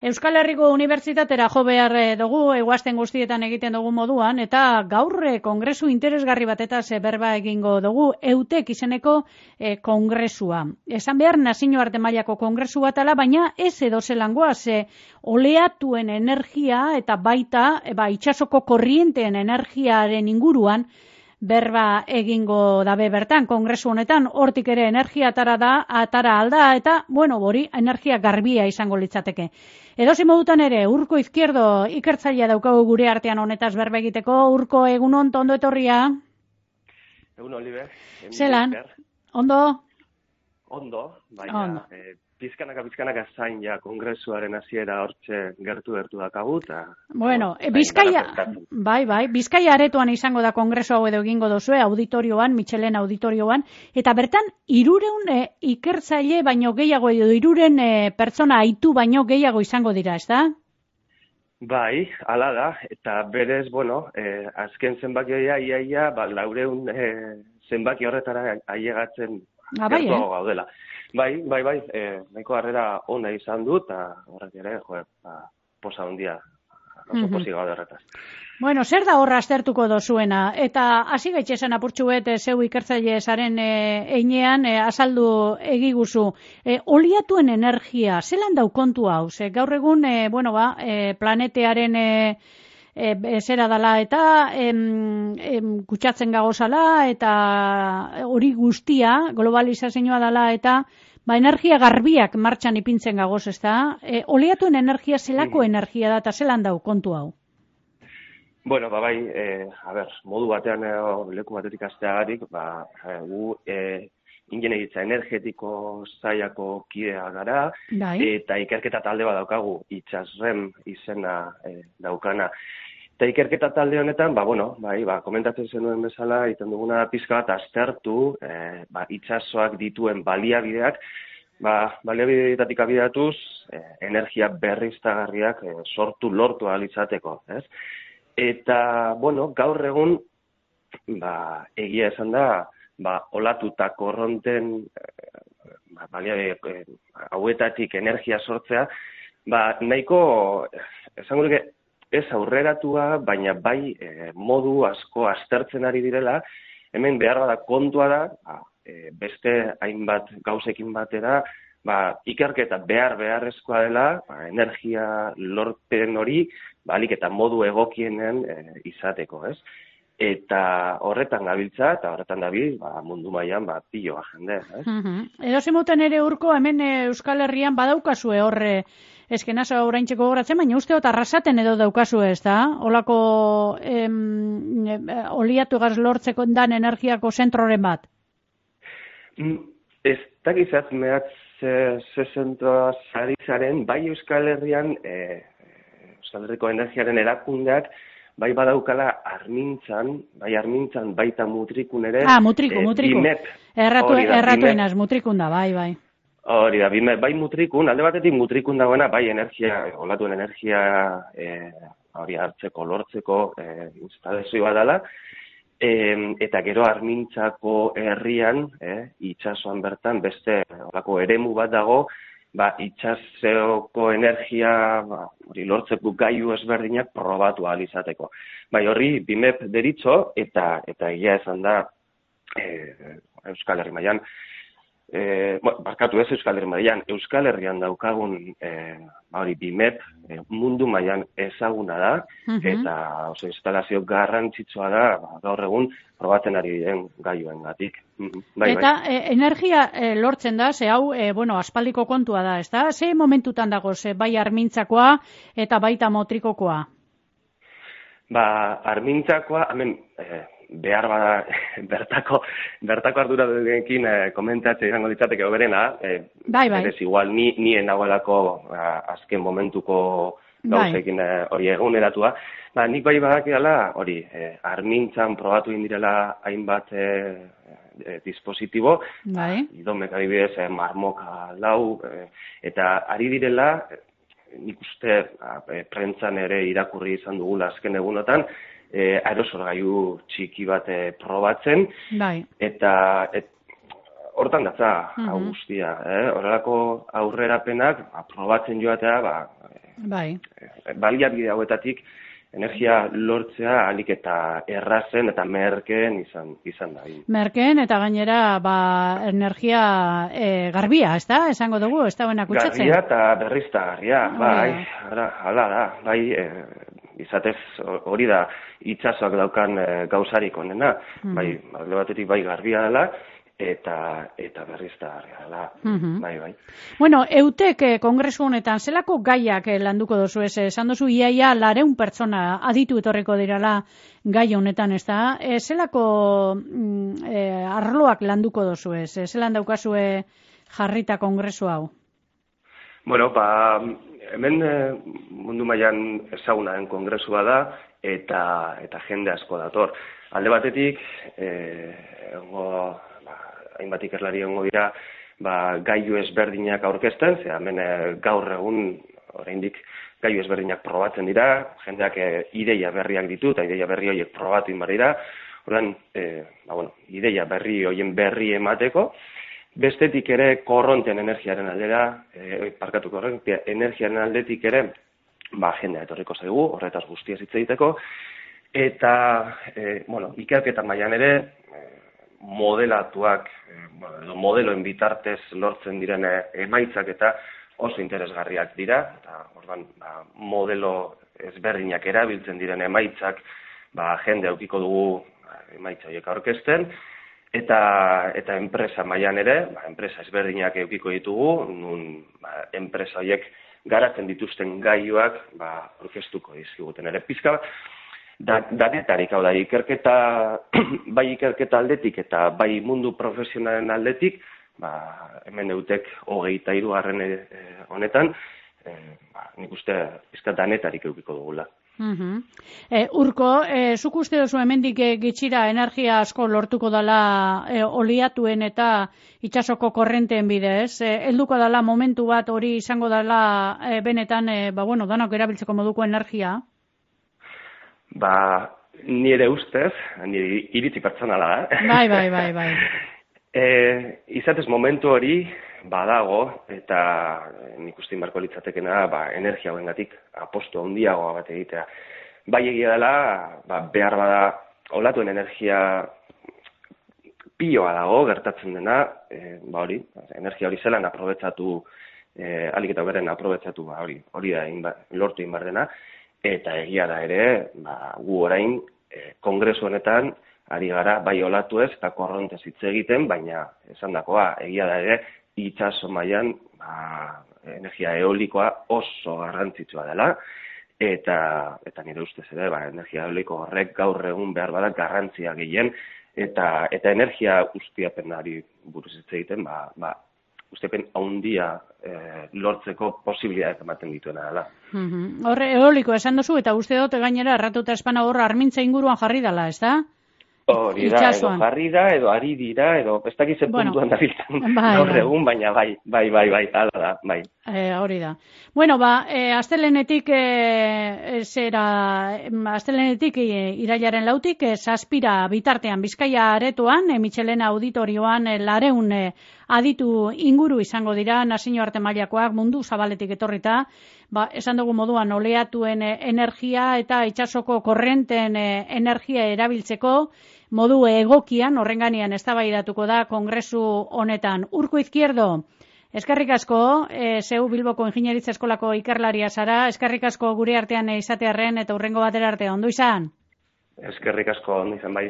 Euskal Herriko Unibertsitatera jo behar dugu, eguazten guztietan egiten dugu moduan, eta gaur kongresu interesgarri batetaz berba egingo dugu, EUTEK izeneko kongresua. Esan behar nazioarte mailako kongresu bat ala, baina ez edozelangoa, oleatuen energia eta baita itsasoko korrienteen energiaren inguruan, berba egingo dabe bertan, kongresu honetan, hortik ere energia atara alda, eta, hori energia garbia izango litzateke. Edozein modutan ere, Urko Izquierdo ikertzailea daukagu gure artean honetaz berba egiteko. Urko, egunon, ondo etorria? Egun Oliver. Zelan? Ondo? Ondo, baina pizkanaka zain ja kongresuaren hasiera hortxe gertu dakagu eta Bizkaia aretoan izango da kongresu hau edo egingo dozue, auditorioan, Michelena auditorioan, eta bertan 300 ikertzaile baino gehiago edo 300 pertsona aitu baino gehiago izango dira, ezta? Bai, hala da, eta berez, azken zenbakia ia 400 zenbaki horretara ailegatzen gertuago gaudela. Bai, nahiko harrera ona izan dut, eta horrek ere, posa handia, oso posi gaude horretaz. Zer da horra aztertuko dozuena? Eta hasi gaitxesan apurtxuet zeu ikertzaile zaren einean, azaldu egiguzu. Oliatuen energia, zelan dau kontu hau? Gaur egun, planetearen zera dala eta kutsatzen gagozala eta hori guztia globalizazioa dala eta energia garbiak martxan ipintzen gagoz, ezta? Oleatuen energia zelako energia da eta zelan dau kontu hau? Modu batean leku batetik asteagatik, gu ingenieritza energetiko sailako kidea gara, eta ikerketa talde bat daukagu, itsasrem izena daukana. Eta ikerketa talde honetan, komentatzen zenuen bezala, egiten duguna pizka bat aztertu, itsasoak dituen baliabideak, baliabideetatik abidatuz, energia berriztagarriak lortu ahal izateko, ez? Eta, gaur egun, egia esan da, olatu eta korronten hauetatik energia sortzea, nahiko, esango dugu, ez aurreratua, baina bai modu asko aztertzen ari direla, hemen behar bada kontua da, beste hainbat gauzekin batera, ikerketa beharrezkoa dela, energia lorpen hori, alik eta modu egokienen izateko, ez? Eta horretan gabiltza, eta horretan dabil, mundu mailan piloa jende, ez? Edozein moten ere Urko, hemen Euskal Herrian badaukazue horre eskenazo oraintxeko goratzen, baina usteot arrasaten edo daukazue, ez da? Olako oliatu gaz lortzeko dan energiako zentroren bat? Ez dakizat mehatze zentroa zarizaren, bai Euskal Herrian, Euskal Herriko energiaren erakundeak, bai badaukala armintzan, baita mutrikun ere. Mutrikun. Erratuenaz, mutrikun da, bai. Hori da, bai mutrikun, alde batetik mutrikun dagoena, bai olatuen energia hori hartzeko, lortzeko instalazio bat dela, eta gero armintzako herrian, itsasoan bertan, beste olako eremu bat dago, itsaseoko energia lortzeko gailu ezberdinak probatu ahal izateko. Horri BIMEP deritzo eta egia esan da Euskal Herri mailan, ez Euskal Herri mailan, Euskal Herrian daukagun BIMEP mundu mailan ezaguna da, eta oso instalazio garrantzitsua da gaur egun probatzen ari diren gailuengatik. Eta energia lortzen da, hau, aspaldiko kontua da, ezta? Ze momentutan dago, bai armintzakoa eta baita motrikokoa? Armintzakoa, hemen, behar bada bertako arduradunekin komentatzea izango ditzateke hoberena, berez igual nien nagoelako azken momentuko gauzekin hori eguneratua, nik bai badakidala hori armintzan probatu indirela hainbat dispositibo, idomek adibidez marmoka lau, eta ari direla, nik uste prentzan ere irakurri izan dugula azken egunotan, aerosolgailu txiki bat probatzen, eta hortan datza guztia, horrelako aurrerapenak probatzen joatea baliabide hauetatik energia lortzea ahalik eta errazen eta merkeen izan da. Merkeen eta gainera energia garbia, ez da? Esango dugu, ez da buena kutsatzen. Garbia eta berriztagarria, hala da, izatez hori da itsasoak daukan gauzarik onena, alde batetik garbia dela, eta berriztagarria dela, bai. Bueno, eutek kongresu honetan zelako gaiak landuko dozu ez? Esan dozu iaia 200 pertsona aditu etorriko dirala gai honetan, ez da? Zelako arloak landuko dozu ez? Zelan daukazue jarrita kongresu hau? Bueno, hemen mundu mailan ezaguna den kongresua da eta jende asko dator. Alde batetik, hainbat ikerlari egongo dira, gailu ezberdinak aurkezten, hemen gaur egun oraindik gailu ezberdinak probatzen dira, jendeak ideia berriak ditu eta ideia berri horiek probatu behar dira. Orduan, ideia berri horien berri emateko, bestetik ere korronten energiaren aldera, energiaren aldetik ere, jendea etorriko zaigu, horretaz guztiaz hitz egiteko, eta, ikerketa mailan ere, modelatuak, modeloen bitartez lortzen diren emaitzak eta oso interesgarriak dira, eta orduan, modelo ezberdinak erabiltzen diren emaitzak, jende aukiko dugu emaitza horiek aurkezten, eta enpresa mailan ere, enpresa ezberdinak edukiko ditugu, nun enpresa horiek garatzen dituzten gailuak aurkeztuko dizkiguten ere pizka. Danetarik, hau da, ikerketa aldetik eta bai mundu profesionalen aldetik, hemen eutek 23. Honetan, nik uste pizka danetarik edukiko dugula. Urko, zuk uste duzu hemendik gitxira energia asko lortuko dela oliatuen eta itsasoko korrenteen bidez, helduko dela momentu bat hori izango dela benetan, danok erabiltzeko moduko energia? Nire ustez, nire iritzi pertsonala da. Bai. Izatez momentu hori badago, eta nik uste inbarko litzatekena energia hauengatik apostu handiagoa bat egitea. Bai egia dela, behar bada olatuen energia pioa dago gertatzen dena, energia hori zelan aprobetxatu, alik eta beren aprobetxatu, hori da lortu inbar dena, eta egia da ere, gu orain kongresu honetan ari gara bai olatu ez eta korrontez hitz egiten, baina esandakoa egia da ere itsaso mailan energia eolikoa oso garrantzitsua dela, eta nire ustez ere energia eoliko horrek gaur egun behar bada garrantzia gehien, eta energia ustiapenari buruz hitz egiten, ustepen handia lortzeko posibilitateak ematen dituena dela. Horre, eoliko esan duzu, eta uste dut gainera erratuta espana horra armintza inguruan jarri dela, ez da? Hori da, edo jarri da, edo ari dira, edo ez dakizen puntuan da biltzen gaur egun, baina bai, ala da, bai. Hori da. Bueno, astelenetik irailaren 4tik, 7 bitartean Bizkaia aretoan, Michelena auditorioan 200 aditu inguru izango dira, nazioarte mailakoak mundu zabaletik etorrita, esan dugu moduan oleatuen energia eta itsasoko korrenten energia erabiltzeko modu egokian, horrenganian eztabaidatuko da kongresu honetan. Urko Izquierdo, eskerrik asko, zeu Bilboko Ingineritza Eskolako ikerlaria zara, eskerrik asko gure artean izatearren eta hurrengo batera arte, ondo izan? Eskerrik asko, ondo izan bai.